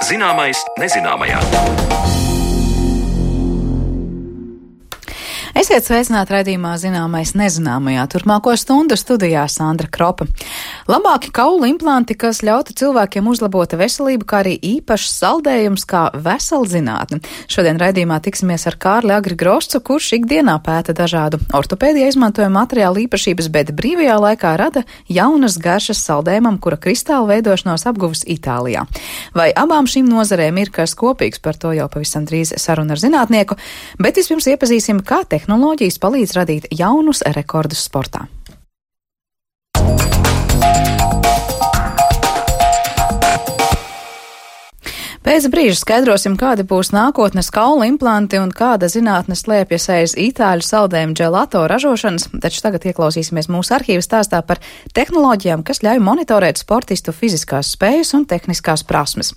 Zināmais nezināmajā. Esiet sveicināti raidījumā Zināmais nezināmajā. Turpmāko stundu studijā Sandra Kropa. Labāki kaulu implanti, kas ļautu cilvēkiem uzlabot veselību, kā arī īpašs saldējums kā vesela zinātne. Šodien raidījumā tiksimies ar Kārli Agri Groscu, kurš ikdienā pēta dažādu ortopēdijā izmantojumu materiālu īpašības, bet brīvajā laikā rada jaunas garšas saldējumam, kura kristāla veidošanos apguvis Itālijā. Vai abām šīm nozarēm ir kas kopīgs, par to jau pavisam drīz saruna ar zinātnieku, bet vispirms iepazīsim, kā tehnoloģijas palīdz radīt jaunus rekordus sportā. Pēc brīža skaidrosim, kādi būs nākotnes kaulu implanti un kāda zinātne slēpjas aiz itāļu saldējumu gelato ražošanas, taču tagad ieklausīsimies mūsu arhīva stāstā par tehnoloģijām, kas ļauj monitorēt sportistu fiziskās spējas un tehniskās prasmes.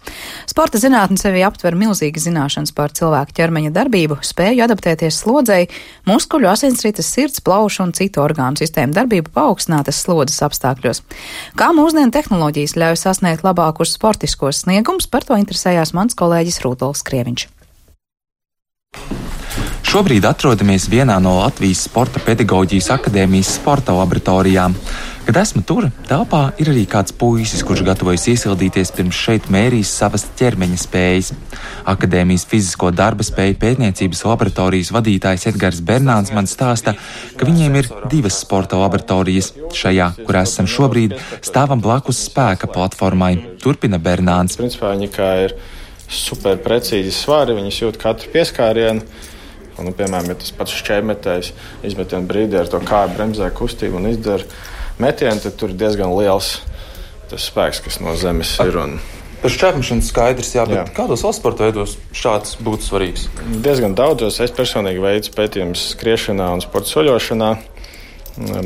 Sporta zinātne sevi aptver milzīgas zināšanas par cilvēku ķermeņa darbību, spēju adaptēties slodzei, muskuļu, asinsrites, sirds, plaušu un citu orgānu sistēmu darbību paaugstinātas slodzes apstākļos. Kā mūsdienu tehnoloģijas ļauj sasniegt labākus sportiskos sniegumus, par to interesējās mans kolēģis Rudolfs Krieviņš. Šobrīd atrodamies vienā no Latvijas Sporta pedagoģijas akadēmijas sporta laboratorijām. Kad esmu tur, telpā ir arī kāds puisis, kurš gatavojas iesildīties pirms šeit mērīs savas ķermeņa spējas. Akadēmijas fizisko darba spēju pētniecības laboratorijas vadītājs Edgars Bernāns man stāsta, ka viņiem ir 2 sporta laboratorijas. Šajā, kur esam šobrīd, stāvam blakus spēka platformai, turpina Bernāns. Principā viņi kā ir super precīzi svari, viņas jūt katru pieskārienu. Un, piemēram, ja tas pats šķēmetējs izmetienu brīdī ar to kāju bremzē kustību un izdara metienu, tad tur ir diezgan liels tas spēks, kas no zemes ir. Par šķēpmešanu skaidrs, jā, bet kādos vēl sporta veidos šāds būtu svarīgs? Diezgan daudzos. Es personīgi veicu pētījumus skriešanā un sporta soļošanā.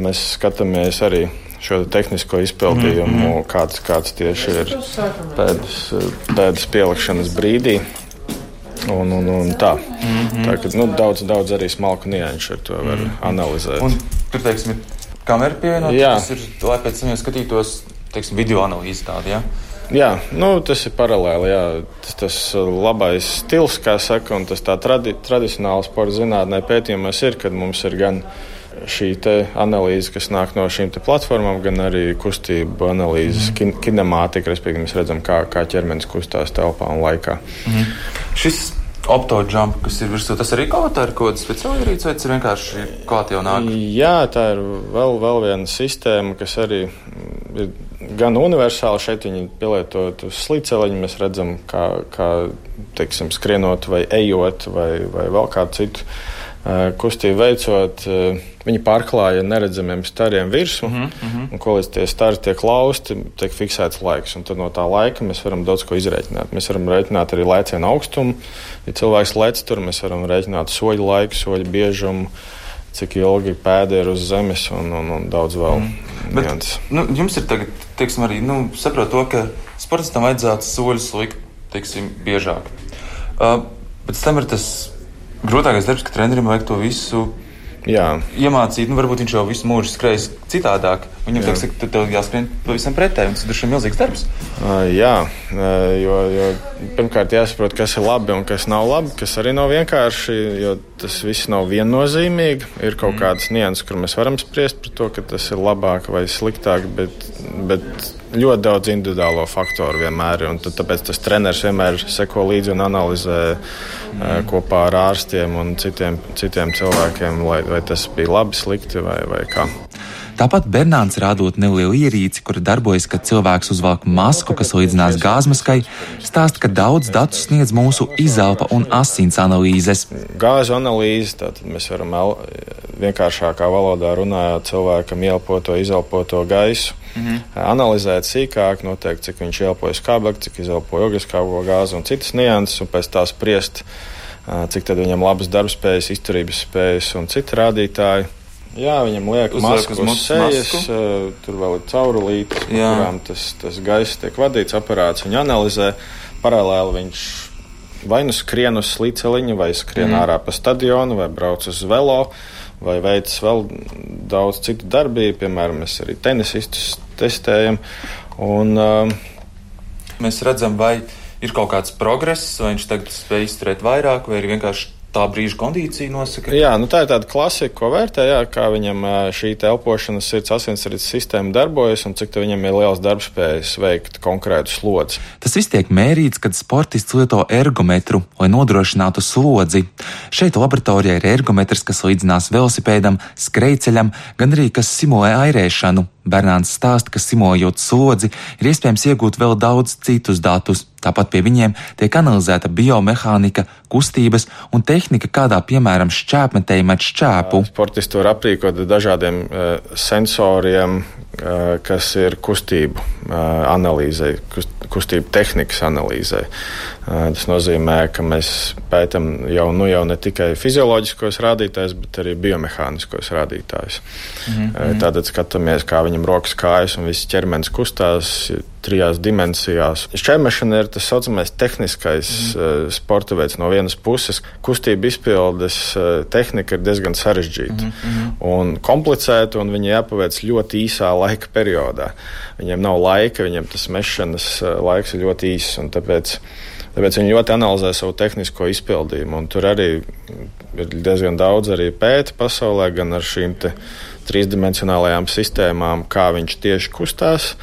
Mēs skatāmies arī šo tehnisko izpildījumu, kāds tieši ir pēdas pielikšanas brīdī. Un tā. Tā ka, daudz arī smalku nianšu ar to var analizēt. Un tur, teiksim, ir kamera pievienot, tas ir, lai pēc tam skatītos, teiksim, video analīzi tādu, jā? Jā, tas ir paralēli, jā. Tas labais stils, kā saka, un tas tā tradicionāli sporta zinātnē pētījumos ir, kad mums ir gan šī te analīze, kas nāk no šīm te platformām, gan arī kustību analīzes, kinemātika, respektīvi mēs redzam, kā ķermenis kustās telpā un laikā. Šis optojump, kas ir virsū, tas arī kaut kāda speciāla ierīce, vai tas ir vienkārši klāt jau nāk? Jā, tā ir vēl viena sistēma, kas arī ir gan universāla. Šeit viņi pielietot uz slīceliņu, mēs redzam, kā teiksim, skrienot vai ejot vai vēl kādu citu kustību veicot, viņi pārklāja neredzamiem stariem virsmu, un ko līdz tie stari tiek lausti, tiek fiksēts laiks, un tad no tā laika mēs varam daudz ko izrēķināt. Mēs varam rēķināt arī lēcienu augstumu, ja cilvēks lec tur, mēs varam rēķināt soļu laiku, soļu biežumu, cik ilgi pēda ir uz zemes un daudz vēl. Bet, jums ir tagad, teiksim, arī, saprot to, ka sportistam vajadzētu soļus likt, teiksim, biežāk. Bet tam ir tas grūtākais darbs, ka trenerim vajag to visu iemācīt. Varbūt viņš jau visu mūžu skrējas citādāk. Viņam tad tev jāskrien pavisam pretēji, un tas ir milzīgs darbs. Jo pirmkārt jāsaprot, kas ir labi un kas nav labi, kas arī nav vienkārši, jo tas viss nav viennozīmīgi. Ir kaut kādas nianses, kur mēs varam spriest par to, ka tas ir labāk vai sliktāk, bet ļoti daudz individuālo faktoru vienmēr ir, un tāpēc tas treneris vienmēr seko līdzi un analizē kopā ar ārstiem un citiem cilvēkiem, vai tas bija labi, slikti vai kā. Tāpat Bernāns rādot nelielu ierīci, kura darbojas, kad cilvēks uzvelk masku, kas līdzinās gāzmaskai, stāsta, ka daudz datu sniedz mūsu izelpa un asins analīzes. Gāzu analīze, tātad mēs varam vienkāršākā valodā runājot cilvēkam ieelpoto, izelpoto gaisu, analizēt sīkāk, noteikti, cik viņš ieelpoja skābekli, cik izelpoja ogliskābo gāzi un citas nianses, un pēc tā spriest, cik tad viņam labas darbspējas, izturības spējas un citi rādītāji. Jā, viņam liek masku uz sejas, tur vēl ir caurulītes, kurām tas gaiss tiek vadīts, aparāts viņu analizē. Paralēli viņš vai nu skrien uz slīceliņa, vai skrien ārā pa stadionu, vai brauc uz velo, vai veic vēl daudz citu darbību. Piemēram, mēs arī tenisistus testējam. Un, mēs redzam, vai ir kaut kāds progress, vai viņš tagad spēj izturēt vairāk, vai ir vienkārši tā brīža kondīcija nosaka? Jā, tā ir tāda klasika, ko vērtē, kā viņam šī elpošanas sirds asinsrites sistēma darbojas un cik viņam ir liels darbspējas veikt konkrētu slodzi. Tas viss tiek mērīts, kad sportists lieto ergometru, lai nodrošinātu slodzi. Šeit laboratorijā ir ergometrs, kas līdzinās velosipēdam, skrejceļam, gan arī kas simulē airēšanu. Bernāns stāsta, ka simulējot slodzi, ir iespējams iegūt vēl daudz citus datus. Tāpat pie viņiem tiek analizēta biomehānika, kustības un tehnika, kādā, piemēram, šķēpmetēji met šķēpu. Sportisti var aprīkot dažādiem sensoriem, kas ir kustību analīzei, kustību tehnikas analīzei. Tas nozīmē, ka mēs pētam jau ne tikai fizioloģiskos rādītājus, bet arī biomehāniskos rādītājus. Tātad skatāmies, kā viņam rokas, kājas un viss ķermenis kustās 3 dimensijās. Šķēmešana ir tas saucamais tehniskais sporta veids. No vienas puses, kustība izpildes tehnika ir diezgan sarežģīta un komplicēta, un viņa jāpaveic ļoti īsā laika periodā. Viņiem nav laika, viņiem tas mešanas laiks ir ļoti īss, un tāpēc viņi ļoti analizē savu tehnisko izpildījumu, un tur arī ir diezgan daudz arī pēta pasaulē, gan ar šīm te 3-dimensionālajām sistēmām, kā viņš tieši kustās.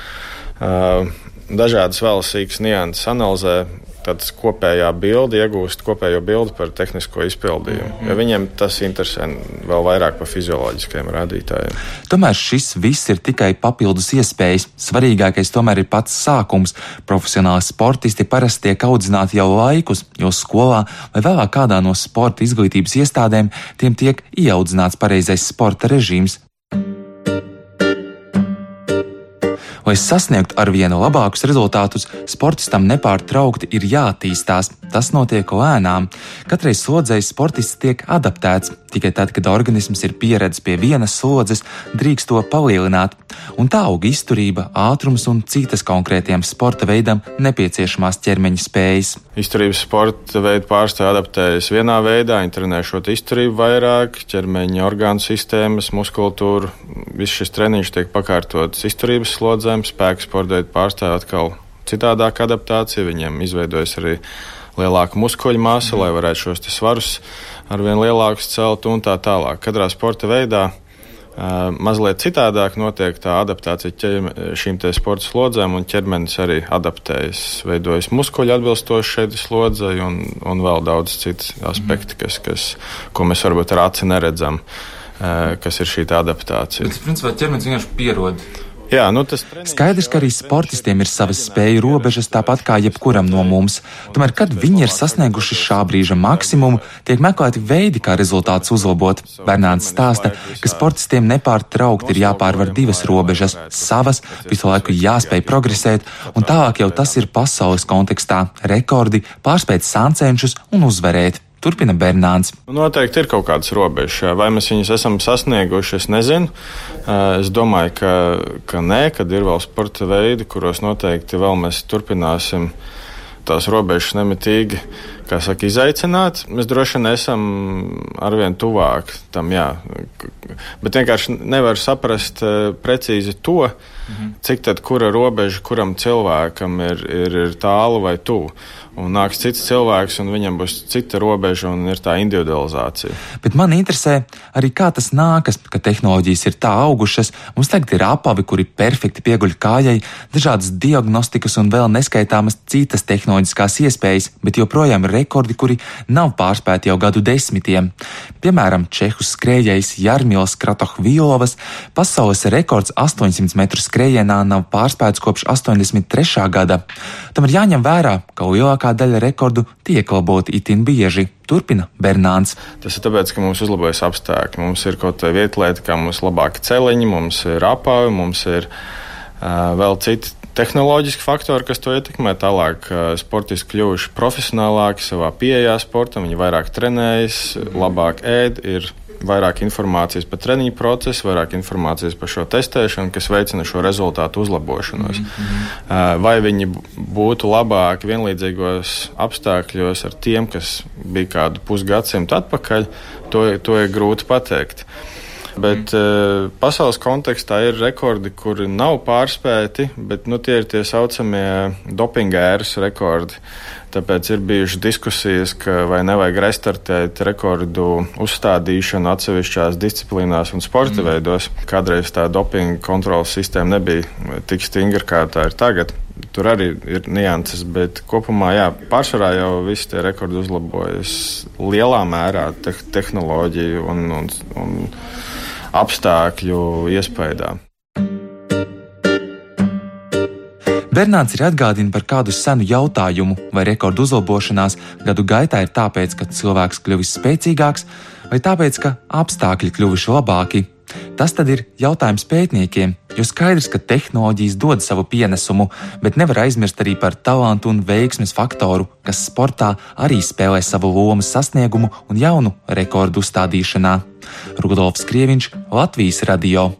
Dažādas vēl sīkas nianses analizē, tad kopējā bilde iegūst kopējo bildi par tehnisko izpildījumu. Ja viņiem tas interesē vēl vairāk par fizioloģiskajiem rādītājiem. Tomēr šis viss ir tikai papildus iespējas. Svarīgākais tomēr ir pats sākums. Profesionāli sportisti parasti tiek audzināti jau laikus, jo skolā vai vēlāk kādā no sporta izglītības iestādēm tiem tiek ieaudzināts pareizais sporta režīms. Lai sasniegtu arvien labākus rezultātus, sportistam nepārtraukti ir jāattīstās. Tas notiek lēnām. Katrai slodzei sportists tiek adaptēts. Tikai tad, kad organisms ir pieredzis pie vienas slodzes, drīkst to palielināt. Un tā aug izturība, ātrums un citas konkrētiem sporta veidam nepieciešamās ķermeņa spējas. Izturības sporta veidu pārstāvji adaptējas vienā veidā, trenēšot izturību vairāk, ķermeņa orgānu sistēmas, muskultūru. Viss šis treniņš tiek pakārtots izturības slodzēm, spēka sporta veidu pārstāvji atkal citādāk adaptācija, viņiem izveidojas arī lielāka muskuļu masa, lai varētu šos svarus arvien lielākus celt un tā tālāk. Katrā sporta veidā mazliet citādāk notiek tā adaptācija šīm te sporta slodzēm, un ķermenis arī adaptējas, veidojas muskuļi atbilstoši šeit slodzei un vēl daudz citas aspekti, ko mēs varbūt ar aci neredzam, kas ir šī adaptācija. Bet, principā, ķermenis vienkārši pierod. Jā, Skaidrs, ka arī sportistiem ir savas spēju robežas, tāpat kā jebkuram no mums. Tomēr, kad viņi ir sasnieguši šā brīža maksimumu, tiek meklēti veidi, kā rezultātus uzlabot. Bernāns stāsta, ka sportistiem nepārtraukti ir jāpārvar 2 robežas - savas, visu laiku jāspēj progresēt, un tālāk jau tas ir pasaules kontekstā - rekordi, pārspēt sāncenšus un uzvarēt. Turpina Bernāns. Noteikti ir kaut kādas robežas. Vai mēs viņus esam sasnieguši, es nezinu. Es domāju, ka nē, kad ir vēl sporta veidi, kuros noteikti vēl mēs turpināsim tās robežas nemitīgi, kā saka, izaicināt. Mēs droši vien esam arvien tuvāk tam, jā. Bet vienkārši nevar saprast precīzi to, cik tad kura robeža kuram cilvēkam ir tālu vai tuvu. Un nāks cits cilvēks, un viņam būs cita robeža, un ir tā individualizācija. Bet man interesē arī, kā tas nākas, ka tehnoloģijas ir tā augušas. Mums tagad ir apavi, kuri perfekti pieguļ kājai, dažādas diagnostikas un vēl neskaitāmas citas tehnoloģiskās iespējas, bet joprojām ir rekordi, kuri nav pārspēti jau gadu desmitiem. Piemēram, čehu skrējējs Jarmils Kratohvilovas pasaules rekords 800 metru skrējienā nav pārspēts kopš 83. gada. Tam ir jāņem vērā, ka lielākā daļa rekordu tiek laboti itin bieži. Turpina Bernāns. Tas ir tāpēc, ka mums uzlabojas apstākļi. Mums ir kaut kāda vietlieta, kā mums labāki celiņi, mums ir apavi, mums ir vēl citi tehnoloģiski faktori, kas to ietekmē. Tālāk sportisti kļuvuši profesionālāki savā pieejā sportam, viņi vairāk trenējas, labāk ēd, ir vairāk informācijas par treniņu procesu, vairāk informācijas par šo testēšanu, kas veicina šo rezultātu uzlabošanos. Vai viņi būtu labāki vienlīdzīgos apstākļos ar tiem, kas bija kādu pusgadsimtu atpakaļ, to ir grūti pateikt. Bet pasaules kontekstā ir rekordi, kuri nav pārspēti, bet tie ir tie saucamie dopinga ēras rekordi. Tāpēc ir bijušas diskusijas, ka vai nevajag restartēt rekordu uzstādīšanu atsevišķās disciplīnās un sporta veidos. Kādreiz tā dopinga kontrolas sistēma nebija tik stingra, kā tā ir tagad. Tur arī ir nianses, bet kopumā, pārsvarā jau visi tie rekordi uzlabojas lielā mērā tehnoloģiju un apstākļu iespējā. Bernārds ir atgādina par kādu senu jautājumu, vai rekordu uzlabošanās gadu gaitā ir tāpēc, ka cilvēks kļuvis spēcīgāks, vai tāpēc, ka apstākļi kļuvuši labāki. Tas tad ir jautājums pētniekiem, jo skaidrs, ka tehnoloģijas dod savu pienesumu, bet nevar aizmirst arī par talantu un veiksmes faktoru, kas sportā arī spēlē savu lomu sasniegumu un jaunu rekordu uzstādīšanā. Rudolfs Krieviņš, Latvijas radio.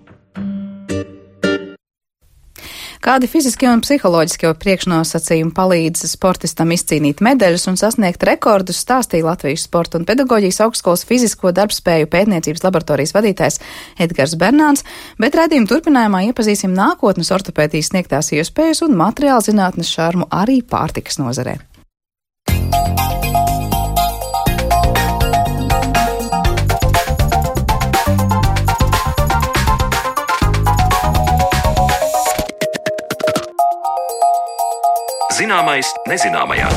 Kādi fiziskie un psiholoģiskie priekšnosacījumi palīdz sportistam izcīnīt medaļas un sasniegt rekordus, stāstīja Latvijas Sporta un pedagoģijas augstskolas fizisko darbspēju pētniecības laboratorijas vadītājs Edgars Bernāns, bet raidījuma turpinājumā iepazīsim nākotnes ortopēdijas sniegtās iespējas un materiāla zinātnes šarmu arī pārtikas nozarē. Zināmais nezināmajā.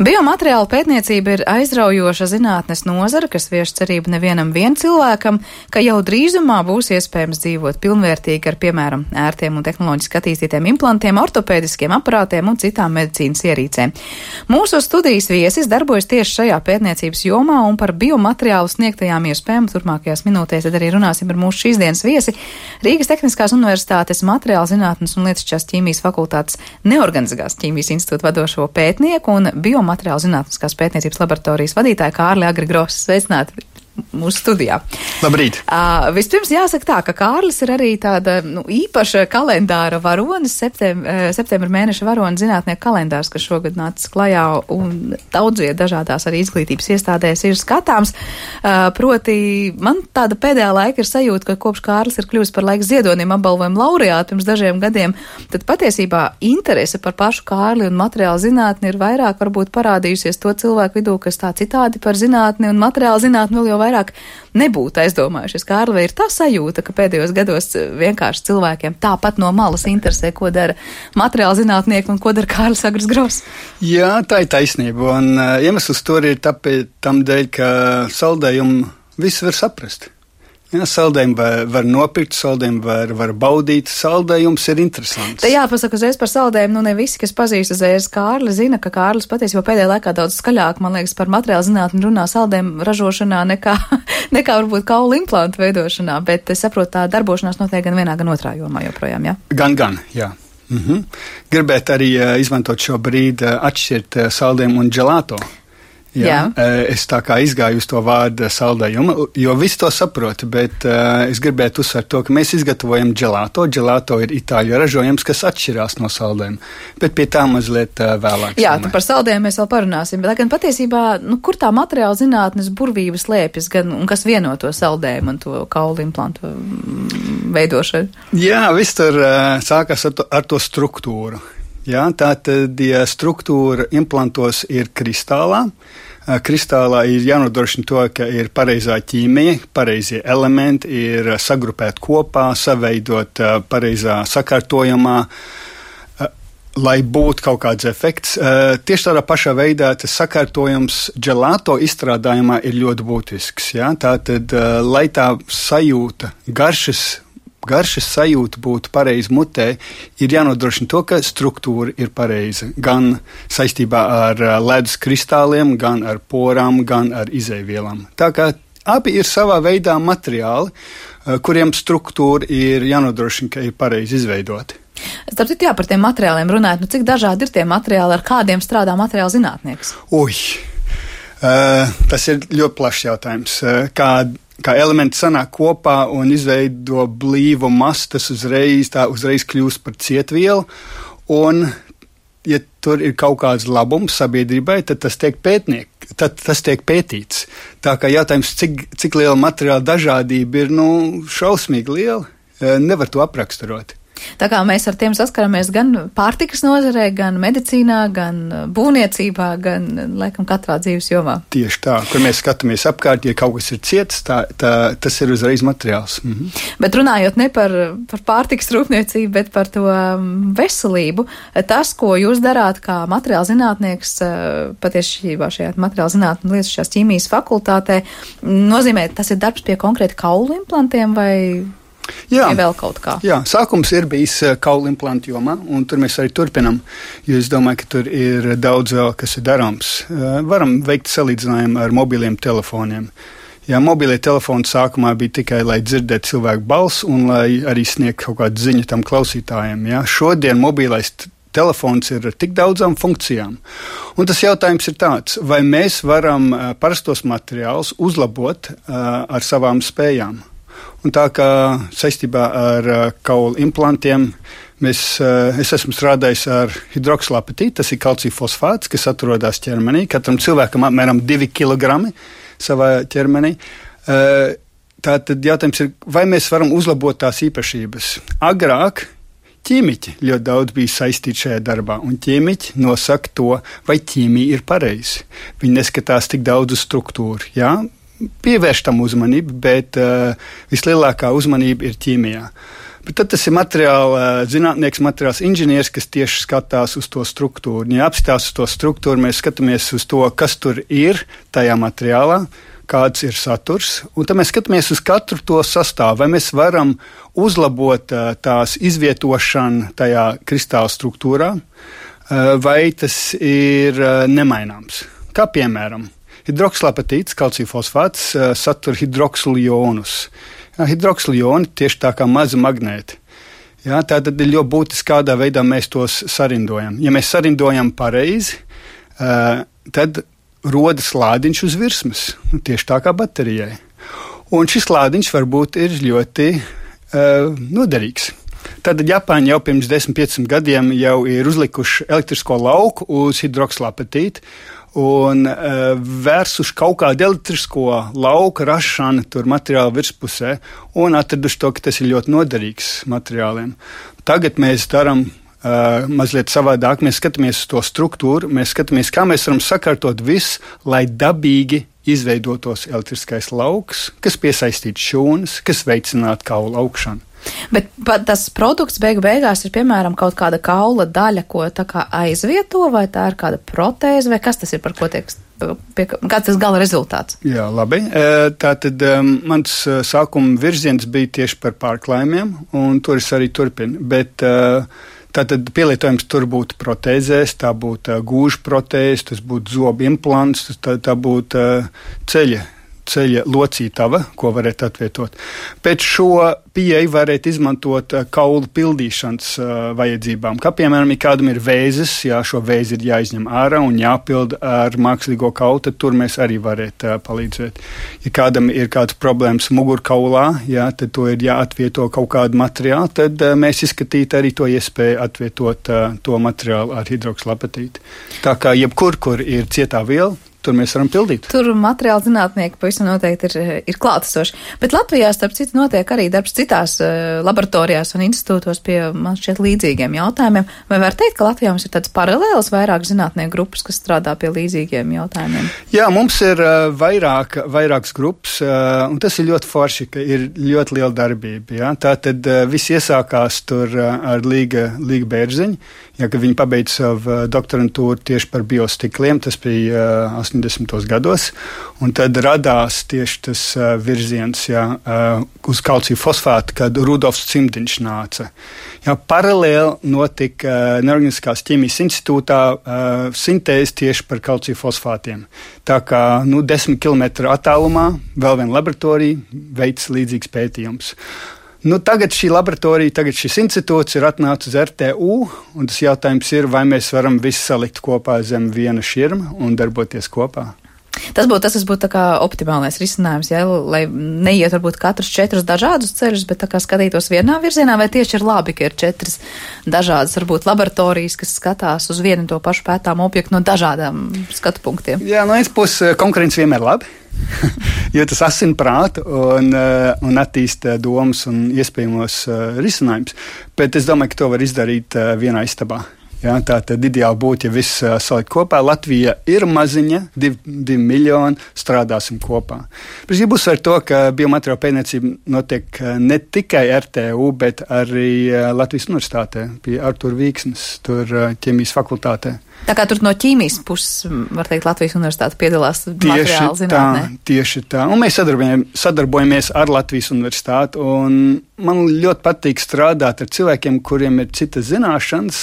Biomateriāla pētniecība ir aizraujoša zinātnes nozara, kas vieš cerību nevienam cilvēkam, ka jau drīzumā būs iespējams dzīvot pilnvērtīgi ar, piemēram, ērtiem un tehnoloģiski attīstītiem implantiem, ortopēdiskiem aparātiem un citām medicīnas ierīcēm. Mūsu studijas viesis darbojas tieši šajā pētniecības jomā, un par biomateriālu sniegtajām iespējām turpmākajās minūtēs tad arī runāsim ar mūsu šīs dienas viesi Rīgas Tehniskās universitātes materiāla zinātnes un lietušķās ķīmijas fakultātes neorganizētās ķīmijas institūta vadošo pētnieku un biomateriālu zinātniskās pētniecības laboratorijas vadītāju Kārli Agri Grosu. Sveicināti mūsu studijā. Labrīt! Vispirms jāsaka tā, ka Kārlis ir arī tāda īpaša kalendāra varonis, septembra mēneša varonis zinātnieku kalendārs, kas šogad nācis klajā un daudzie dažādās arī izglītības iestādēs ir skatāms. Proti, man tāda pēdējā laika ir sajūta, ka kopš Kārlis ir kļuvis par laika ziedonim apbalvojumu laureātu pirms dažiem gadiem, tad patiesībā interese par pašu Kārli un materiālu zinātni ir vairāk varbūt parādījusies to cilvēku vidū, kas tā citādi par zinātni un materiālu zinātni vēl jau vairāk nebūtu aizdomājušies. Kārli, vai ir tā sajūta, ka pēdējos gados vienkārši cilvēkiem tāpat no malas interesē, ko dara materiāla zinātnieki un ko dara Kārlis Agris Gross? Jā, tā ir taisnība, un iemesls tur ir tam dēļ, ka saldējumu viss var saprast. Jā, saldējumu var nopirkt, saldējumu var baudīt, saldējums ir interesants. Te jāpasaka uzreiz par saldējumu, ne visi, kas pazīst uzreiz Kārli, zina, ka Kārlis patiesībā pēdējā laikā daudz skaļāk, man liekas, par materiālu zinātni runā saldējumu ražošanā nekā varbūt kaulu implantu veidošanā, bet es saprotu, tā darbošanās notiek gan vienā, gan otrā jomā joprojām, jā? Gan, jā. Gribētu arī izmantot šo brīdi atšķirt saldējumu un gelato. Jā. Es tā kā izgāju uz to vārdu saldējumu, jo visi to saprot, bet es gribētu uzsvērt to, ka mēs izgatavojam gelato. Gelato ir itāļu ražojums, kas atšķirās no saldējuma, bet pie tā mazliet vēlāk. Jā, par saldējumu mēs vēl parunāsim, bet gan patiesībā, kur tā materiāla zinātnes burvības slēpjas, gan un kas vieno to saldējumu un to kaulu implantu veidošanu? Jā, viss tur sākās ar to struktūru. Jā, tātad, ja struktūra implantos ir kristālā, kristālā ir jānodrošina to, ka ir pareizā ķīmija, pareizie elementi, ir sagrupēt kopā, saveidot pareizā sakārtojumā, lai būtu kaut kāds efekts. Tieši tādā pašā veidā tas sakārtojums gelato izstrādājumā ir ļoti būtisks. Jā? Tātad, lai tā sajūta, garšas sajūta būtu pareizi mutē, ir jānodrošina to, ka struktūra ir pareiza. Gan saistībā ar ledus kristāliem, gan ar porām, gan ar izejvielām. Tā kā abi ir savā veidā materiāli, kuriem struktūra ir jānodrošina, ka ir pareizi izveidoti. Starp citu, par tiem materiāliem runājot, cik dažādi ir tie materiāli, ar kādiem strādā materiāla zinātnieks? Tas ir ļoti plašs jautājums. Kā elementi sanāk kopā un izveido blīvu masu, tas uzreiz kļūst par cietvielu, un, ja tur ir kaut kāds labums sabiedrībai, tad tas tiek pētīts. Tā kā jautājums, cik liela materiāla dažādība ir, šausmīgi liela, nevar to apraksturot. Tā kā mēs ar tiem saskaramies gan pārtikas nozarē, gan medicīnā, gan būvniecībā, gan, laikam, katrā dzīves jomā. Tieši tā, kur mēs skatāmies apkārt, ja kaut kas ir ciets, tas ir uzreiz materiāls. Bet runājot ne par pārtikas rūpniecību, bet par to veselību, tas, ko jūs darāt kā materiāla zinātnieks, patiešībā šajā materiāla zinātņu lietas šajās ķīmijas fakultātē, nozīmē, tas ir darbs pie konkrēti kaulu implantiem vai... Jā, vēl kaut kā. Jā, sākums ir bijis kaulu implantu jomā, un tur mēs arī turpinam, jo es domāju, ka tur ir daudz vēl, kas ir darāms. Varam veikt salīdzinājumu ar mobiliem telefoniem. Jā, mobilie telefoni sākumā bija tikai, lai dzirdētu cilvēku balsi un lai arī sniegtu kaut kādu ziņu tam klausītājiem. Jā. Šodien mobilais telefons ir ar tik daudzām funkcijām. Un tas jautājums ir tāds, vai mēs varam parastos materiālus uzlabot ar savām spējām. Un tā kā saistībā ar kaulu implantiem es esmu strādājis ar hidroksalapetītu, tas ir kalcija fosfāts, kas atrodas ķermenī. Katram cilvēkam apmēram 2 kg savā ķermenī. Tātad jautājums ir, vai mēs varam uzlabot tās īpašības? Agrāk ķīmiķi ļoti daudz bija saistīti šajā darbā, un ķīmiķi nosaka to, vai ķīmija ir pareizi. Viņi neskatās tik daudz uz struktūru, jā? Pievērš tam uzmanību, bet vislielākā uzmanība ir ķīmijā. Bet tad tas ir materiāla zinātnieks, materiāls inženieris, kas tieši skatās uz to struktūru. Ja apstās uz to struktūru, mēs skatāmies uz to, kas tur ir tajā materiālā, kāds ir saturs, un tad mēs skatāmies uz katru to sastāvu, vai mēs varam uzlabot tās izvietošanu tajā kristāla struktūrā, vai tas ir nemaināms. Kā piemēram, hidroksalapetīts, kalcija fosfāts, satur hidroksilu ionus. Hidroksilu ioni tieši tā kā mazi magnēti. Tā tad ir ļoti būtiski, kādā veidā mēs tos sarindojam. Ja mēs sarindojam pareizi, tad rodas lādiņš uz virsmas, tieši tā kā baterijai. Un šis lādiņš varbūt ir ļoti noderīgs. Tad Japāņi jau pirms 10-15 gadiem jau ir uzlikuši elektrisko lauku uz hidroksalapetītu, un vērsuši kaut kādu elektrisko lauka rašanu tur materiāla virspusē un atraduši to, ka tas ir ļoti noderīgs materiāliem. Tagad mēs darām mazliet savādāk, mēs skatāmies uz to struktūru, mēs skatāmies, kā mēs varam sakārtot visu, lai dabīgi izveidotos elektriskais lauks, kas piesaistītu šūnas, kas veicinātu kaulu augšanu. Bet tas produkts beigās ir, piemēram, kaut kāda kaula daļa, ko tā kā aizvieto, vai tā ir kāda protēze, vai kas tas ir, par ko tiek, kāds tas gala rezultāts? Jā, labi. Tātad mans sākuma virziens bija tieši par pārklājumiem, un tur es arī turpinu, bet tātad pielietojums tur būtu protēzēs, tā būtu gūža protēze, tas būtu zobu implants, tā būtu ceļa locītava, ko varētu atvietot. Pēc šo pieeju varētu izmantot kaulu pildīšanas vajadzībām. Kā piemēram, ja kādam ir vēzis, šo vēzi ir jāizņem ārā un jāpild ar mākslīgo kaulu, tad tur mēs arī varētu palīdzēt. Ja kādam ir kāds problēmas mugurkaulā, tad to ir jāatvieto kaut kādu materiālu, tad mēs izskatītu arī to iespēju atvietot to materiālu ar hidroksalapetītu. Tā kā jebkur, kur ir cietā viela, tur mēs varam pildīt. Tur materiāla zinātnieki pavisam noteikti ir klātesoši. Bet Latvijā, starp citu, notiek arī darbs citās laboratorijās un institūtos pie, man šķiet, līdzīgiem jautājumiem. Vai var teikt, ka Latvijā mums ir tāds paralēls vairāk zinātnieku grupas, kas strādā pie līdzīgiem jautājumiem? Jā, mums ir vairākas grupas, un tas ir ļoti forši, ka ir ļoti liela darbība. Jā. Tātad viss iesākās tur ar Līga Bērziņu, kad viņi pabeidza savu doktorantūru tieši par biostikliem, tas bija 80. gados, un tad radās tieši tas virziens uz kalciju fosfātu, kad Rudolfs Cimdiņš nāca. Paralēli notika Neorganiskās ķīmijas institūtā sintēze tieši par kalciju fosfātiem. Tā kā 10 km attālumā vēl viena laboratorija veic līdzīgs pētījums. Nu, tagad šī laboratorija, tagad šis institūts ir atnācis uz RTU, un tas jautājums ir, vai mēs varam visu salikt kopā zem viena širma un darboties kopā. Tas būtu tā kā optimālais risinājums, ja, lai neiet varbūt katrs 4 dažādus ceļus, bet tā kā skatītos vienā virzienā, vai tieši ir labi, ka ir 4 dažādas varbūt laboratorijas, kas skatās uz vienu to pašu pētāmu objektu no dažādām skatu punktiem. Jā, no vienas puses konkurence vienmēr labi, jo tas asina prātu un attīsta domas un iespējamos risinājumus, bet es domāju, ka to var izdarīt vienā istabā. Jā, tā tad ideāli būtu, ja viss salikt kopā. Latvija ir maziņa, 2 miljoni, strādāsim kopā. Es gribu uzsvērt to, ka biomateriālu pētniecība notiek ne tikai RTU, bet arī Latvijas universitātē, pie Artūra Vīksnes, tur ķīmijas fakultātē. Tā kā tur no ķīmijas puses, var teikt, Latvijas universitāte piedalās materiālu zinātnē. Tieši tā. Un mēs sadarbojamies ar Latvijas universitāti, un man ļoti patīk strādāt ar cilvēkiem, kuriem ir citas zināšanas,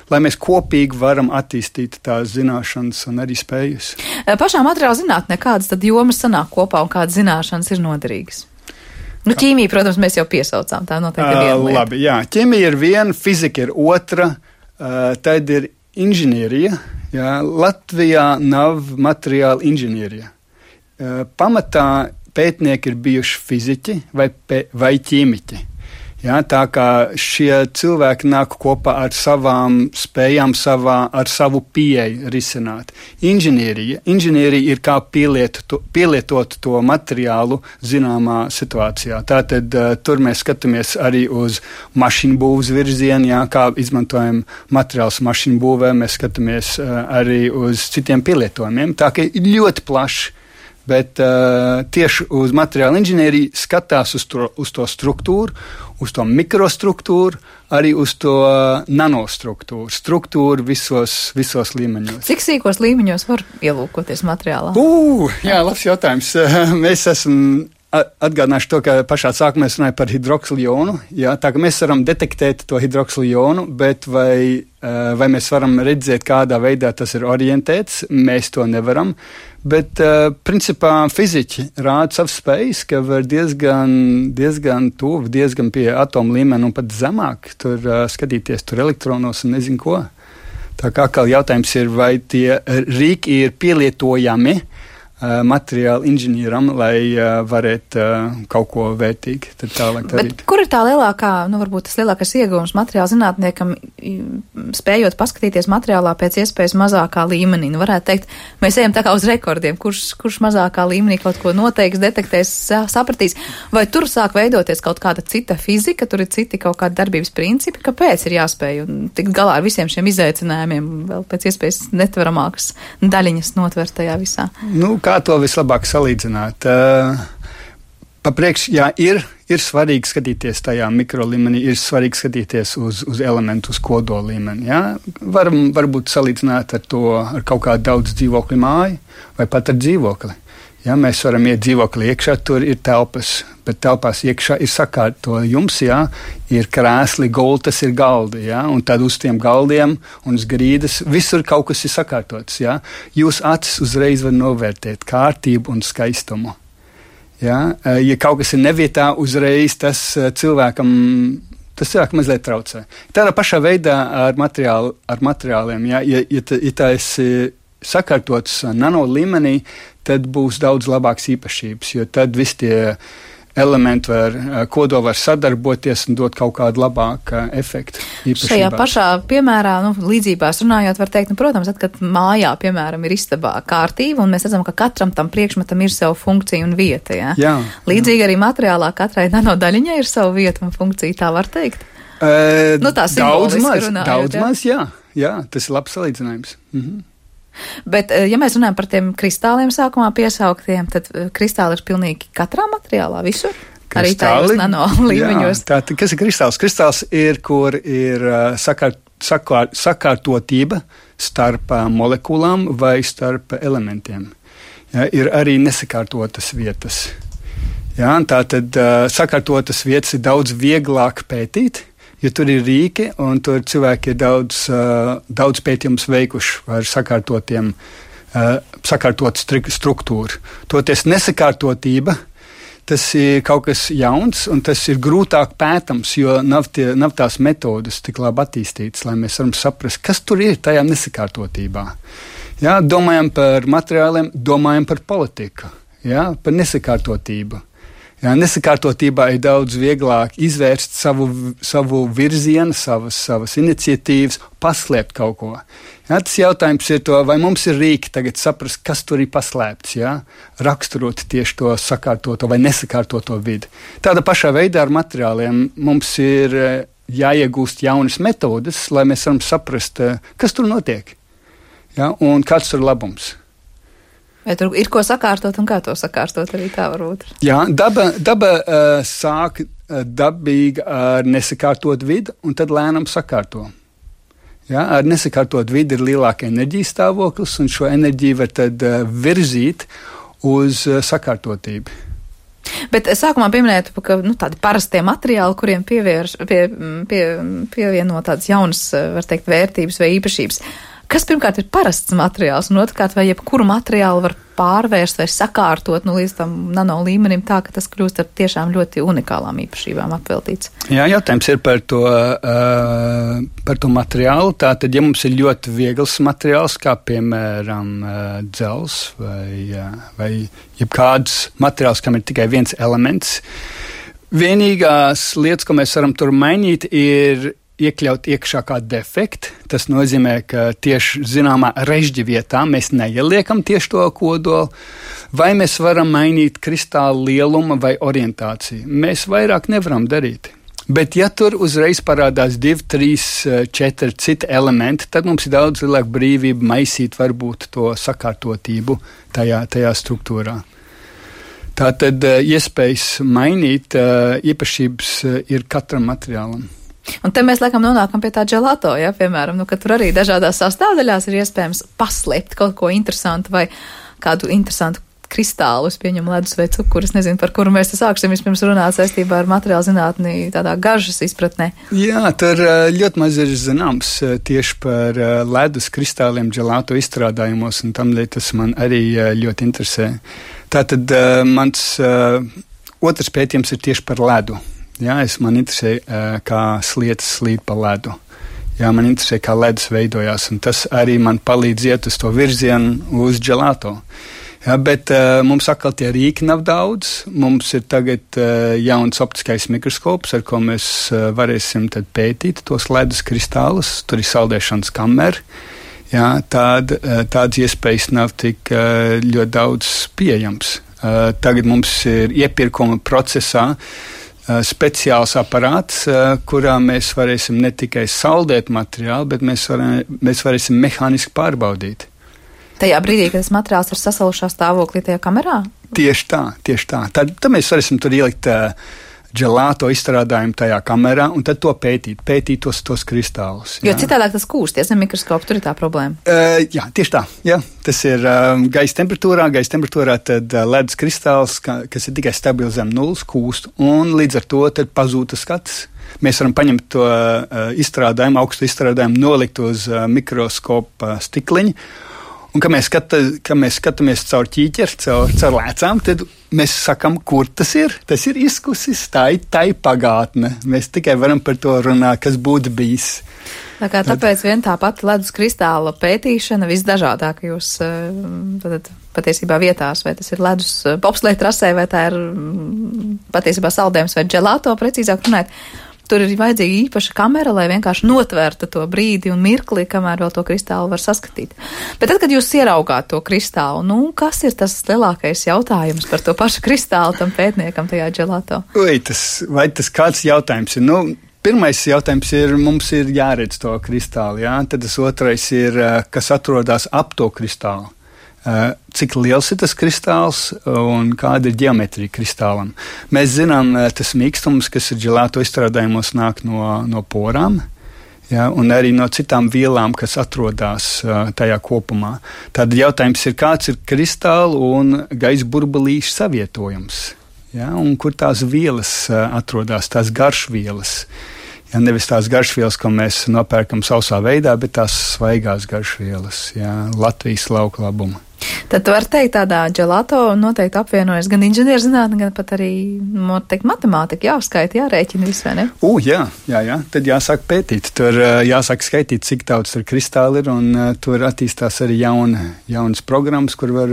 lai mēs kopīgi varam attīstīt tās zināšanas un arī spējas. Pašā materiāla zinātnē kādas tad jomas sanāk kopā un kādas zināšanas ir noderīgas? Nu, ķīmija, protams, mēs jau piesaucām, tā noteikti ir viena lieta. Labi, jā, ķīmija ir viena, fizika ir otra, tad ir inženierija. Jā, Latvijā nav materiāla inženierija. Pamatā pētnieki ir bijuši fiziķi vai ķīmiķi. Jā, tā kā šie cilvēki nāk kopā ar savām spējām, ar savu pieeju risināt. Inženierija ir kā pielietot to materiālu zināmā situācijā. Tātad tur mēs skatāmies arī uz mašīnu būvs virzienu, jā, kā izmantojam materiālus mašīnu būvē, mēs skatāmies arī uz citiem pielietojumiem. Tā kā ir ļoti plaši. Bet tieši uz materiāla inženieriju skatās uz to struktūru, uz to mikrostruktūru, arī uz to nanostruktūru visos līmeņos. Cik sīkos līmeņos var ielūkoties materiālā? Jā, labs jautājums. Mēs esam atgādināšu to, ka pašā sākumā mēs runājam par hidroksiljonu. Jā, tā ka mēs varam detektēt to hidroksiljonu, bet vai mēs varam redzēt, kādā veidā tas ir orientēts, mēs to nevaram. Bet, principā, fiziķi rāda savas spējas, ka var diezgan tuvu, diezgan pie atomu līmeni un pat zemāk tur skatīties tur elektronos un nezinu ko. Tā kā atkal jautājums ir, vai tie rīki ir pielietojami materiāla inženieram, lai varētu kaut ko vērtīgi tālāk darīt. Bet kur ir tā lielākā, varbūt tas lielākais ieguvums materiāla zinātniekam, spējot paskatīties materiālā pēc iespējas mazākā līmenī? Varētu teikt, mēs ejam tā kā uz rekordiem, kurš mazākā līmenī kaut ko noteiks, detektēs, sapratīs, vai tur sāk veidoties kaut kāda cita fizika, tur ir citi kaut kādi darbības principi, kāpēc ir jāspēj un tikt galā ar visiem šiem izaicinājumiem, vēl pēc iespējas netveramākas daļiņas notvert tajā visā? Kā to vislabāk salīdzināt? Papriekš, jā, ir svarīgi skatīties tajā mikrolīmenī, ir svarīgi skatīties uz elementu, uz kodola līmeni. Jā? Varbūt salīdzināt ar kaut kādu daudz dzīvokļu māju vai pat ar dzīvokli. Jā, mēs varam iet dzīvoklī iekšā, tur ir telpas, bet telpās iekšā ir sakārtojums, jā, ir krēsli, gultas, ir galdi, jā, un tad uz tiem galdiem un uz grīdas visur kaut kas ir sakārtots, jā. Jūs acis uzreiz var novērtēt kārtību un skaistumu. Jā, ja kaut kas ir nevietā, uzreiz tas cilvēkam mazliet traucē. Tādā pašā veidā ar materiāliem, jā, ja tā esi sakārtots nano līmenī, tad būs daudz labāks īpašības, jo tad visi tie elementi kodoli var sadarboties un dot kaut kādu labāku efektu. Šajā pašā piemērā, līdzībās runājot, var teikt, protams, kad mājā, piemēram, ir istabā kārtība, un mēs redzam, ka katram tam priekšmetam ir sava funkcija un vieta. Ja? Jā, līdzīgi arī materiālā katrai nanodaļiņai ir sava vieta un funkcija, tā var teikt. Tā daudz maz, jā, tas ir labs salīdzinājums. Mhm. Bet, ja mēs runājam par tiem kristāliem sākumā piesauktiem, tad kristāli ir pilnīgi katrā materiālā, visur? Kristāli, arī tajos nano līmeņos. Jā, kas ir kristāls? Kristāls ir, kur ir sakārtotība starp molekulām vai starp elementiem. Jā, ir arī nesakārtotas vietas. Jā, tātad sakārtotas vietas ir daudz vieglāk pētīt, jo tur ir rīki, un tur cilvēki ir daudz pētījumus veikuši ar sakārtotu struktūru. Toties nesakārtotība, Tas ir kaut kas jauns, un tas ir grūtāk pētams, jo nav tās metodes tik labi attīstītas, lai mēs varam saprast, kas tur ir tajā nesakārtotībā. Jā, domājam par materiāliem, domājam par politiku, jā, par nesakārtotību. Jā, nesakārtotībā ir daudz vieglāk izvērst savu virzienu, savas iniciatīvas, paslēpt kaut ko. Jā, tas jautājums ir to, vai mums ir rīki tagad saprast, kas tur ir paslēpts, jā, raksturot tieši to sakārtoto vai nesakārtoto vidi. Tāda pašā veidā ar materiāliem mums ir jāiegūst jaunas metodes, lai mēs varam saprast, kas tur notiek, jā, un kāds tur labums. Vai tur ir ko sakārtot un kā to sakārtot, arī tā varbūt? Jā, daba sāk dabīgi ar nesakārtot vidi un tad lēnām sakārto. Jā, ar nesakārtot vidi ir lielāka enerģijas stāvoklis un šo enerģiju var tad virzīt uz sakārtotību. Bet sākumā pieminētu, ka tādi parastie materiāli, kuriem pievieno tādas jaunas, var teikt, vērtības vai īpašības. Kas pirmkārt ir parasts materiāls, un otrkārt, vai jebkuru materiālu var pārvērst vai sakārtot līdz tam nano līmenim tā, ka tas kļūst ar tiešām ļoti unikālām īpašībām apveltīts? Jā, jautājums ir par to materiālu. Tātad, ja mums ir ļoti viegls materiāls, kā piemēram dzels vai jebkāds materiāls, kam ir tikai viens elements, vienīgās lietas, ko mēs varam tur mainīt, ir iekļaut iekšā kā defektu. Tas nozīmē, ka tieši zināmā režģa vietā mēs neieliekam tieši to kodolu, vai mēs varam mainīt kristāla lielumu vai orientāciju. Mēs vairāk nevaram darīt. Bet ja tur uzreiz parādās 2, 3, 4 citi elementi, tad mums ir daudz lielāka brīvība maisīt varbūt to sakārtotību tajā struktūrā. Tātad iespējas mainīt īpašības ir katram materiālam. Un te mēs laikam nonākam pie tā gelato, ja, piemēram, ka tur arī dažādās sastāvdaļās ir iespējams paslēpt kaut ko interesantu vai kādu interesantu kristālu, es pieņemu ledus vai cukuru, es nezinu, par kuru mēs te sāksim vispirms runāt saistībā ar materiālu zinātni tādā garžas izpratnē. Jā, tur ļoti maz ir zināms tieši par ledus kristāliem gelato izstrādājumos, un tam tas man arī ļoti interesē. Tātad mans otrs pētījums ir tieši par ledu. Jā, man interesē, kā slietas slīd pa ledu. Jā, man interesē, kā ledus veidojās, un tas arī man palīdz iet uz to virzienu uz gelato. Jā, bet mums atkal tie rīki nav daudz. Mums ir tagad jauns optiskais mikroskops, ar ko mēs varēsim tad pētīt tos ledus kristālus. Tur ir saldēšanas kamera. Jā, tādas iespējas nav tik ļoti daudz pieejams. Tagad mums ir iepirkuma procesā speciāls aparāts, kurā mēs varēsim ne tikai saldēt materiālu, bet mēs varēsim mehāniski pārbaudīt. Tajā brīdī, kad tas materiāls ir sasalušā stāvoklī tajā kamerā? Tieši tā. Tad mēs varēsim tur ielikt gelato izstrādājumu tajā kamerā un tad to pētīt tos kristālus. Jo citādāk tas kūst, ja zem mikroskopu, tur ir tā problēma. Jā, tieši tā. Jā. Tas ir gaisa temperatūrā tad ledus kristāls, kas ir tikai stabili zem nulles, kūst, un līdz ar to tad pazūta skats. Mēs varam paņemt to augstu izstrādājumu, nolikt uz mikroskopa stikliņu, un, kad mēs skatāmies caur ķīķeri, caur lēcām, tad mēs sakam, kur tas ir. Tas ir izkusis, tā ir pagātne. Mēs tikai varam par to runāt, kas būtu bijis. Tāpēc vien tā pati ledus kristāla pētīšana visdažādākajos patiesībā vietās, vai tas ir ledus bobsleja trasē, vai tā ir patiesībā saldējums vai gelato, precīzāk runāt. Tur ir vajadzīga īpaša kamera, lai vienkārši notvērtu to brīdi un mirkli, kamēr vēl to kristālu var saskatīt. Bet tad, kad jūs ieraugāt to kristālu, kas ir tas lielākais jautājums par to pašu kristālu tam pētniekam tajā gelato? Vai tas kāds jautājums ir? Pirmais jautājums ir, mums ir jāredz to kristālu, jā? Tad tas otrais ir, kas atrodas ap to kristālu. Cik liels ir tas kristāls un kāda ir ģeometrija kristālam. Mēs zinām, tas mīkstums, kas ir gelato izstrādājumos, nāk no porām, ja, un arī no citām vielām, kas atrodas tajā kopumā. Tad jautājums ir, kāds ir kristālu un gaisa burbulīšu savietojums, ja, un kur tās vielas atrodas, tās garšvielas. Ja, nevis tās garšvielas, ko mēs nopērkam sausā veidā, bet tās svaigās garšvielas, ja, Latvijas lauku labuma. Tad tu vari teikt, tādā gelato noteikti apvienojas gan inženierzinātne, gan pat arī, noteikti, matemātika, jāuzskaita, jārēķina visu, vai ne? Jā. Tad jāsāk pētīt. Tur jāsāk skaitīt, cik daudz tur kristāli ir, un tur attīstās arī jaunas programmas, kur var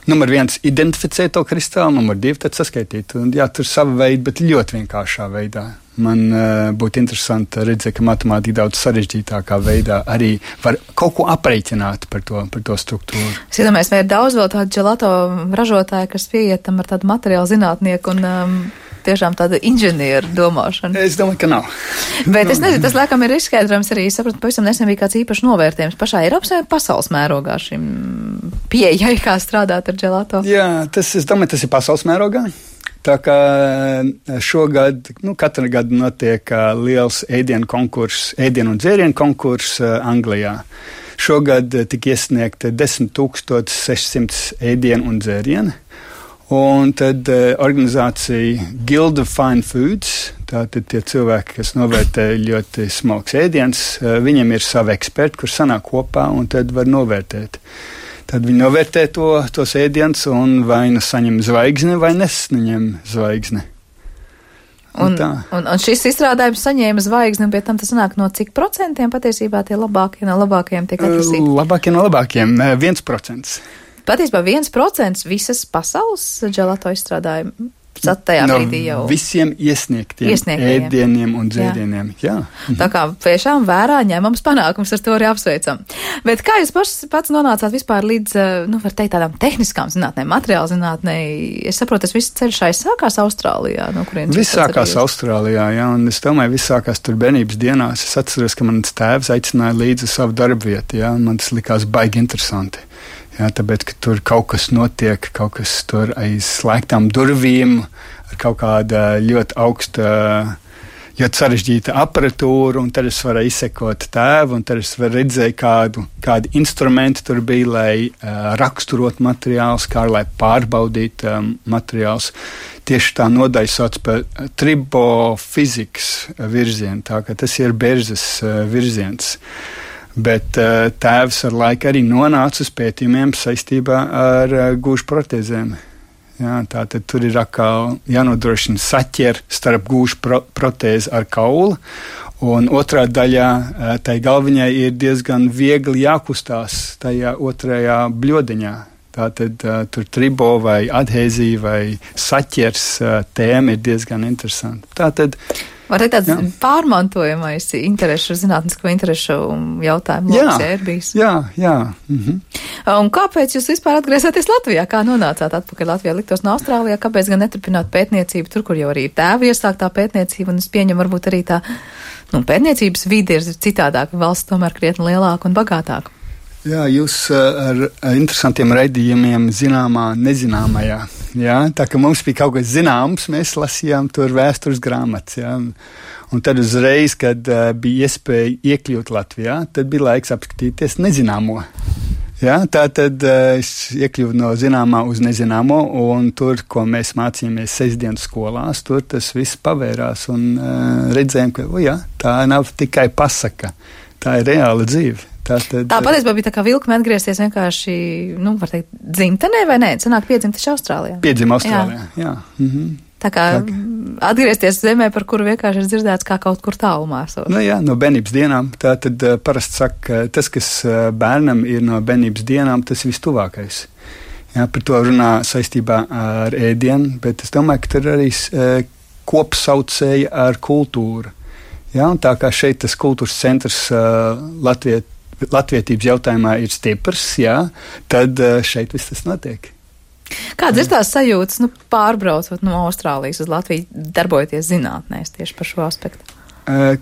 numur 1 identificēt to kristālu, numur 2 tad saskaitīt. Un, jā, tur sava veida, bet ļoti vienkāršā veidā. Man būtu interesanti redzēt, ka matemātika daudz sarežģītākā veidā arī var kaut ko aprēķināt par to struktūru. Es iedomājos, vai ir daudz vēl tādu gelato ražotāju, kas pieietam ar tādu materiālu zinātnieku un tiešām tāda inženieru domāšana? Es domāju, ka nav. Bet es nezinu, tas laikam ir izskaidrojums arī, sapratu, pavisam nesen bija kāds īpašs novērtējums pašā Eiropas vai pasaules mērogā šim pieejai, kā strādāt ar gelato. Jā, es domāju, tas ir pasaules mērogā. Tā kā šogad, katru gadu notiek liels ēdienu un dzērienu konkurss Anglijā. Šogad tika iesniegta 10,600 ēdienu un dzērienu. Un tad organizācija Guild of Fine Foods, tātad tie cilvēki, kas novērtē ļoti smalks ēdiens, viņiem ir savi eksperti, kur sanāk kopā un tad var novērtēt. Tad viņi novērtē tos ēdienus un vai nu saņem zvaigzni vai nesaņem zvaigzni. Un šis izstrādājums saņēma zvaigzni, un pie tam tas nāk no cik procentiem patiesībā tie labākie no labākajiem tiek atlasīti? Labākie no labākajiem, 1%. Patiesībā 1% visas pasaules gelato izstrādājumu. Tajā brīdī jau visiem iesniegtiem ēdieniem un dzērieniem. Jā. Tā kā tiešām vērā ņemams panākums, ar to arī apsveicam. Bet kā jūs pats nonācāt vispār līdz, var teikt, tādām tehniskām zinātnēm, materiāla zinātnē? Es saprotu, tas viss ceļš sākās Austrālijā. No kurienes viss sākās Austrālijā, jā, un es domāju, viss sākās tur bērnības dienās. Es atceros, ka mans tēvs aicināja līdzi savu darbu vietu, jā, un man tas likās baigi interesanti. Jā, tāpēc, ka tur kaut kas notiek, kaut kas tur aiz slēgtām durvīm, ar kaut kāda ļoti augsta, ļoti sarežģīta aparatūra, un tad es varēju izsekot tēvu, un tad es redzēju, kādi instrumenti tur bija, lai raksturot materiālus, kā lai pārbaudītu materiālus. Tieši tā nodaļa sauc par tribofizikas virzienu, tā ka tas ir Berzes virziens. Bet tēvs ar laiku arī nonāca uz pētījumiem saistībā ar gūžu protēzēm. Jā, tātad tur ir atkal jānodrošina saķer starp gūžu protēzi ar kaulu, un otrā daļā tai galviņai ir diezgan viegli jākustās tajā otrajā bļodiņā. Tātad tur tribo vai adhēzija vai saķers tēma ir diezgan interesanta. Tātad var teikt tāds pārmantojamais zinātnisko interešu jautājumu loks, ir bijis. Jā. Mhm. Un kāpēc jūs vispār atgriezāties Latvijā? Kā nonācāt atpakaļ Latvijā? Liktos no Austrālijā, kāpēc gan neturpināt pētniecību tur, kur jau arī ir tēva iesāktā pētniecība, un es pieņemu varbūt arī tā, pētniecības vide ir citādāka, valsts tomēr krietni lielāka un bagātāka. Jā, jūs ar interesantiem raidījumiem zināmā, nezināmajā. Jā, tā kā mums bija kaut kas zināms, mēs lasījām tur vēstures grāmatas. Jā. Un tad uzreiz, kad bija iespēja iekļūt Latvijā, tad bija laiks apskatīties nezināmo. Jā, tā tad es iekļuvu no zināmā uz nezināmo, un tur, ko mēs mācījāmies sestdienas skolās, tur tas viss pavērās un redzējām, ka tā nav tikai pasaka, tā ir reāla dzīve. Tā patiesībā bija tā kā vilkme atgriezties vienkārši, var teikt, dzimtenē vai nē? Sanāk piedzimta Austrālijā. Piedzima Austrālijā, jā. Mhm. Tā kā atgriezties zemē, par kuru vienkārši ir dzirdēts kā kaut kur tālumā. No bērnības dienām. Tā tad parasti saka, tas, kas bērnam ir no bērnības dienām, tas ir vistuvākais. Jā, par to runā saistībā ar ēdienu, bet es domāju, ka tur arī kopsaucēja ar kultūru. Jā, un tā kā šeit tas kultūras centrs latvietības jautājumā ir stiprs, jā, tad šeit viss tas notiek. Kādas ir tās sajūtas, pārbraucot no Austrālijas uz Latviju, darbojoties zinātnēs tieši par šo aspektu?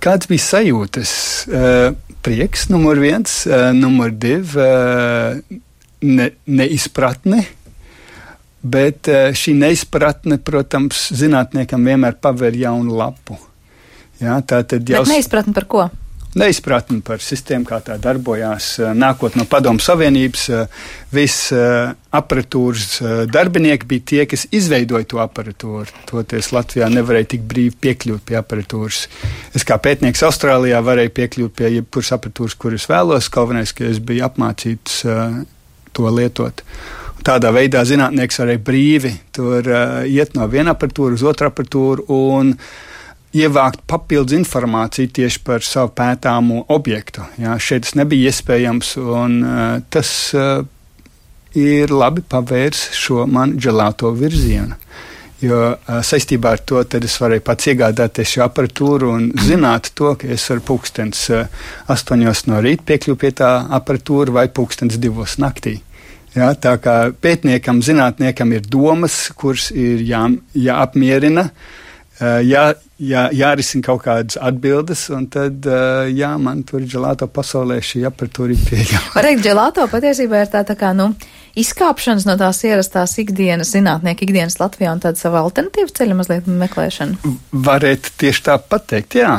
Kāds bija sajūtas? Prieks, numur 1, numur 2, neizpratne, bet šī neizpratne, protams, zinātniekam vienmēr paver jaunu lapu. Jā, bet neizpratni par ko? Neizpratni par sistēmu, kā tā darbojās. Nākot no Padomu Savienības, viss aparatūras darbinieki bija tie, kas izveidoja to aparatūru. Toties Latvijā nevarēja tik brīvi piekļūt pie aparatūras. Es kā pētnieks Austrālijā varēju piekļūt pie jebkuras aparatūras, kuras vēlos. Galvenais, ka es biju apmācīts to lietot. Tādā veidā zinātnieks arī brīvi tur iet no viena aparatūra uz otru aparatūru un ievākt papildus informāciju tieši par savu pētāmo objektu. Jā, šeit tas nebija iespējams, un tas ir labi pavērs šo man gelato virzienu. Jo saistībā ar to tad es varēju pats iegādāties šo aparatūru un zināt to, ka es varu pulkstens 8 no rīta piekļūt pie tā aparatūra vai pulkstens 2 naktī. Ja, tā kā pētniekam, zinātniekam ir domas, kuras ir jāapmierina, jārisina kaut kādas atbildes, un tad, man tur gelato pasaulē šī aparatūra ir pieejama. Var teikt, gelato patiesībā ir tā kā, izkāpšanas no tās ierastās ikdienas, zinātnieku ikdienas Latvijā un tāda sava alternatīva ceļa mazliet meklēšana? Varētu tieši tā pateikt, jā.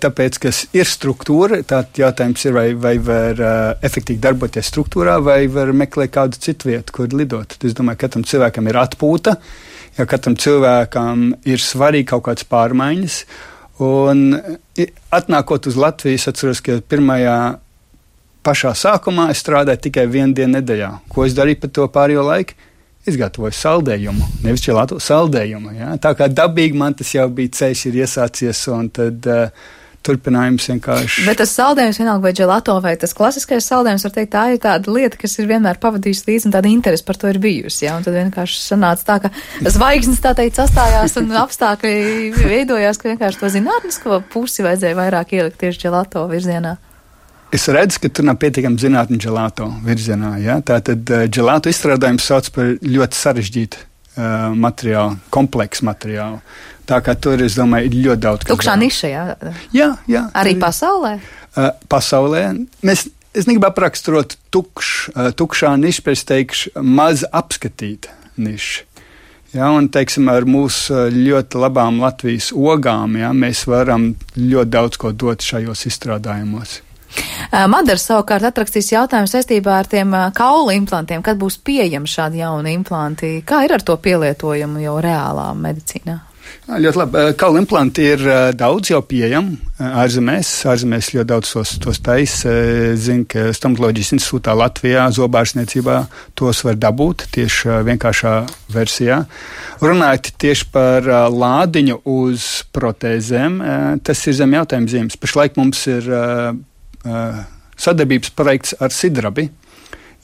Tāpēc, ka ir struktūra, tāds jautājums ir, vai var efektīvi darboties struktūrā, vai var meklēt kādu citu vietu, kur lidot. Es domāju, ka katram cilvēkam ir atpūta, ja katram cilvēkam ir svarīgi kaut kādas pārmaiņas, un atnākot uz Latviju, es atceros, ka pašā sākumā es strādāju tikai 1 dienu nedēļā. Ko es darīju par to pārējo laiku? Es gatavoju saldējumu, nevis gelato saldējumu. Ja? Tā kā dabīgi man tas jau bija ceļš ir iesācies, un tad turpinājums vienkārši. Bet tas saldējums vienalga vai gelato, vai tas klasiskais saldējums, var teikt, tā ir tāda lieta, kas ir vienmēr pavadījusi līdzi, un tāda interese par to ir bijusi. Ja? Un tad vienkārši sanāca tā, ka zvaigznes tā teikt sastājās, un apstākļi veidojās, ka vienkārši to zinātnisko pusi vajadzēja vairāk ielikt tieši gelato virzienā. Es redzu, ka tur nav pietiekami zinātņu gelato virzienā. Ja? Tātad gelato izstrādājums sauc par ļoti sarežģītu materiālu, kompleksu materiālu. Tā kā tur, es domāju, ir ļoti daudz. Tukšā niša, jā? Jā. Arī pasaulē? Pasaulē. Es negribu apraksturot tukšā niša, bet es teikšu maz apskatīta niša. Ja, un, teiksim, ar mūsu ļoti labām Latvijas ogām, mēs varam ļoti daudz ko dot šajos izstrādājumos. Madara savukārt atrakstīs jautājumu saistībā ar tiem kaulu implantiem. Kad būs pieejami šādi jauni implanti? Kā ir ar to pielietojumu jau reālā medicīnā? Ļoti labi. Kaulu implanti ir daudz jau pieejami ārzemēs. Ārzemēs ļoti daudz tos taisa. Zinu, ka Stomatoloģijas institūtā Latvijā zobārstniecībā tos var dabūt tieši vienkāršā versijā. Runājot tieši par lādiņu uz protēzēm, tas ir zem jautājuma zīmes. Pašlaik mums ir sadarbības projekts ar Sidrabi,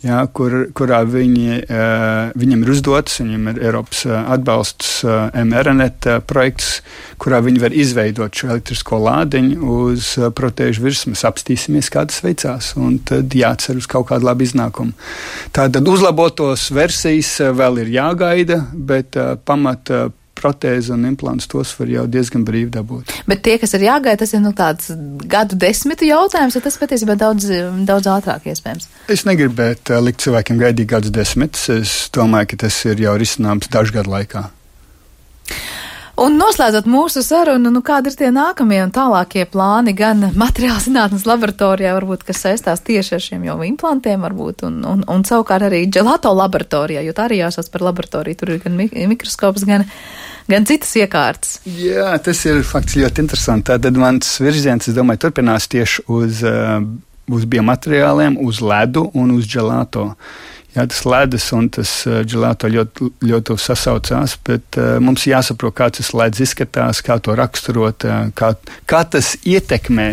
kurā viņiem ir uzdots, viņiem ir Eiropas atbalsts mRNet projekts, kurā viņi var izveidot šo elektrisko lādiņu uz protēžu virsmas. Apstīsimies, kā tas veicās, un tad jācer uz kaut kādu labu iznākumu. Tātad uzlabotos versijas vēl ir jāgaida, bet pamata protēzi un implants tos var jau diezgan brīvi dabūt. Bet tie, kas ir jāgaida, tas ir tāds gadu desmitu jautājums, vai tas patiesībā daudz ātrāk iespējams? Es negribētu likt cilvēkiem gaidīt gadus desmitus. Es domāju, ka tas ir jau risināms dažu gadu laikā. Un noslēdzot mūsu sarunu, kādi ir tie nākamie un tālākie plāni gan materiāla zinātnes laboratorijā, varbūt, kas saistās tieši ar šiem jau implantiem, varbūt, un savukārt arī gelato laboratorijā, jo tā arī jāsauc par laboratoriju, tur ir gan mikroskops, gan citas iekārtas. Jā, tas ir fakts ļoti interesanti. Tātad mans virziens, es domāju, turpinās tieši uz biomateriāliem, uz ledu un uz gelato. Jā, tas ledus un tas gelato ļoti sasaucās, bet mums jāsaprot, kā tas ledus izskatās, kā to raksturot, kā tas ietekmē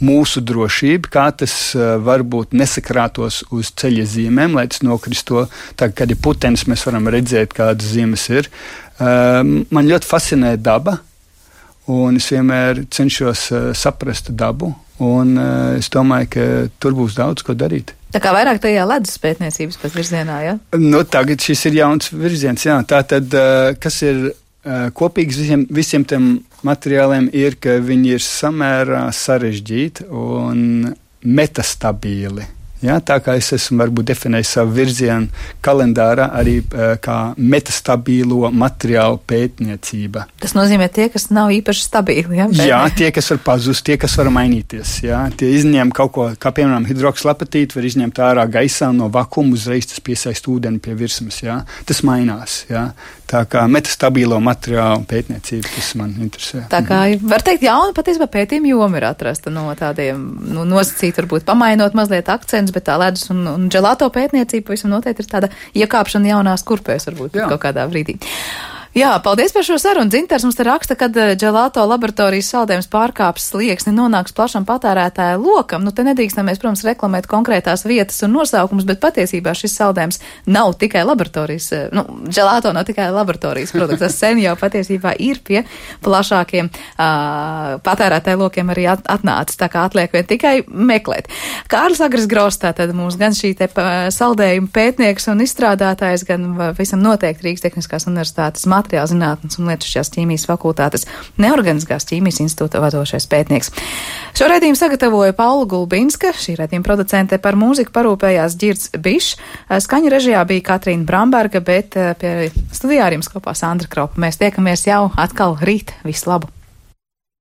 mūsu drošību, kā tas varbūt nesakrātos uz ceļa zīmēm, lai tas nokristo. Tā, kad ir putenis, mēs varam redzēt, kādas zīmes ir. Man ļoti fascinē daba, un es vienmēr cenšos saprast dabu, un es domāju, ka tur būs daudz ko darīt. Tā kā vairāk tajā ledus pētniecības pat virzienā, ja? Tagad šis ir jauns virziens, jā. Tātad, kas ir kopīgs visiem tiem materiāliem, ir, ka viņi ir samērā sarežģīti un metastabīli. Ja, tā kā es esmu varbūt definējis savu virzienu kalendārā arī kā metastabīlo materiālu pētniecība. Tas nozīmē tie, kas nav īpaši stabīli, ja? Jā, tie, kas var pazust, tie, kas var mainīties, jā. Tie izņem kaut ko, kā piemēram hidrokslapatīti, var izņemt ārā gaisā no vakuma, uzreiz tas piesaist ūdeni pie virsmas, jā. Tas mainās, jā. Tā kā metastabilo materiālu pētniecība, tas man interesē. Tā kā var teikt, jauna patiesībā pētījuma joma ir atrasta no tādiem, nosacīt, varbūt pamainot mazliet akcentus, bet tā ledus un dželato pētniecība visam noteikti ir tāda iekāpšana jaunās kurpēs varbūt kaut kādā brīdī. Jā, paldies par šo sarunu. Dzintars mums te raksta, kad dželato laboratorijas saldējums pārkāps slieksni nonāks plašam patērētāja lokam. Nu, te nedrīkstam mēs, protams, reklamēt konkrētās vietas un nosaukumus, bet patiesībā šis saldējums nav tikai laboratorijas, dželato nav tikai laboratorijas produkts. Tas sen jau patiesībā ir pie plašākiem patērētāja lokiem arī atnācis. Tā kā atliek vien tikai meklēt. Kārlis Agris Gross, tātad mums gan šī te saldējuma pētnieks un izstrādātājs, gan visam noteikti Rīgas Tehniskās universitātes materiāla zinātnes un lietušķās ķīmijas fakultātes neorganiskās ķīmijas institūta vadošais pētnieks. Šo raidījumu sagatavoja Paula Gulbinska, šī raidījuma producente, par mūziku parūpējās Ģirds Bišs, skaņu režijā bija Katrīna Bramberga, bet pie studijā ar jums kopā Sandra Kropa. Mēs tiekamies jau atkal rīt. Visu labu!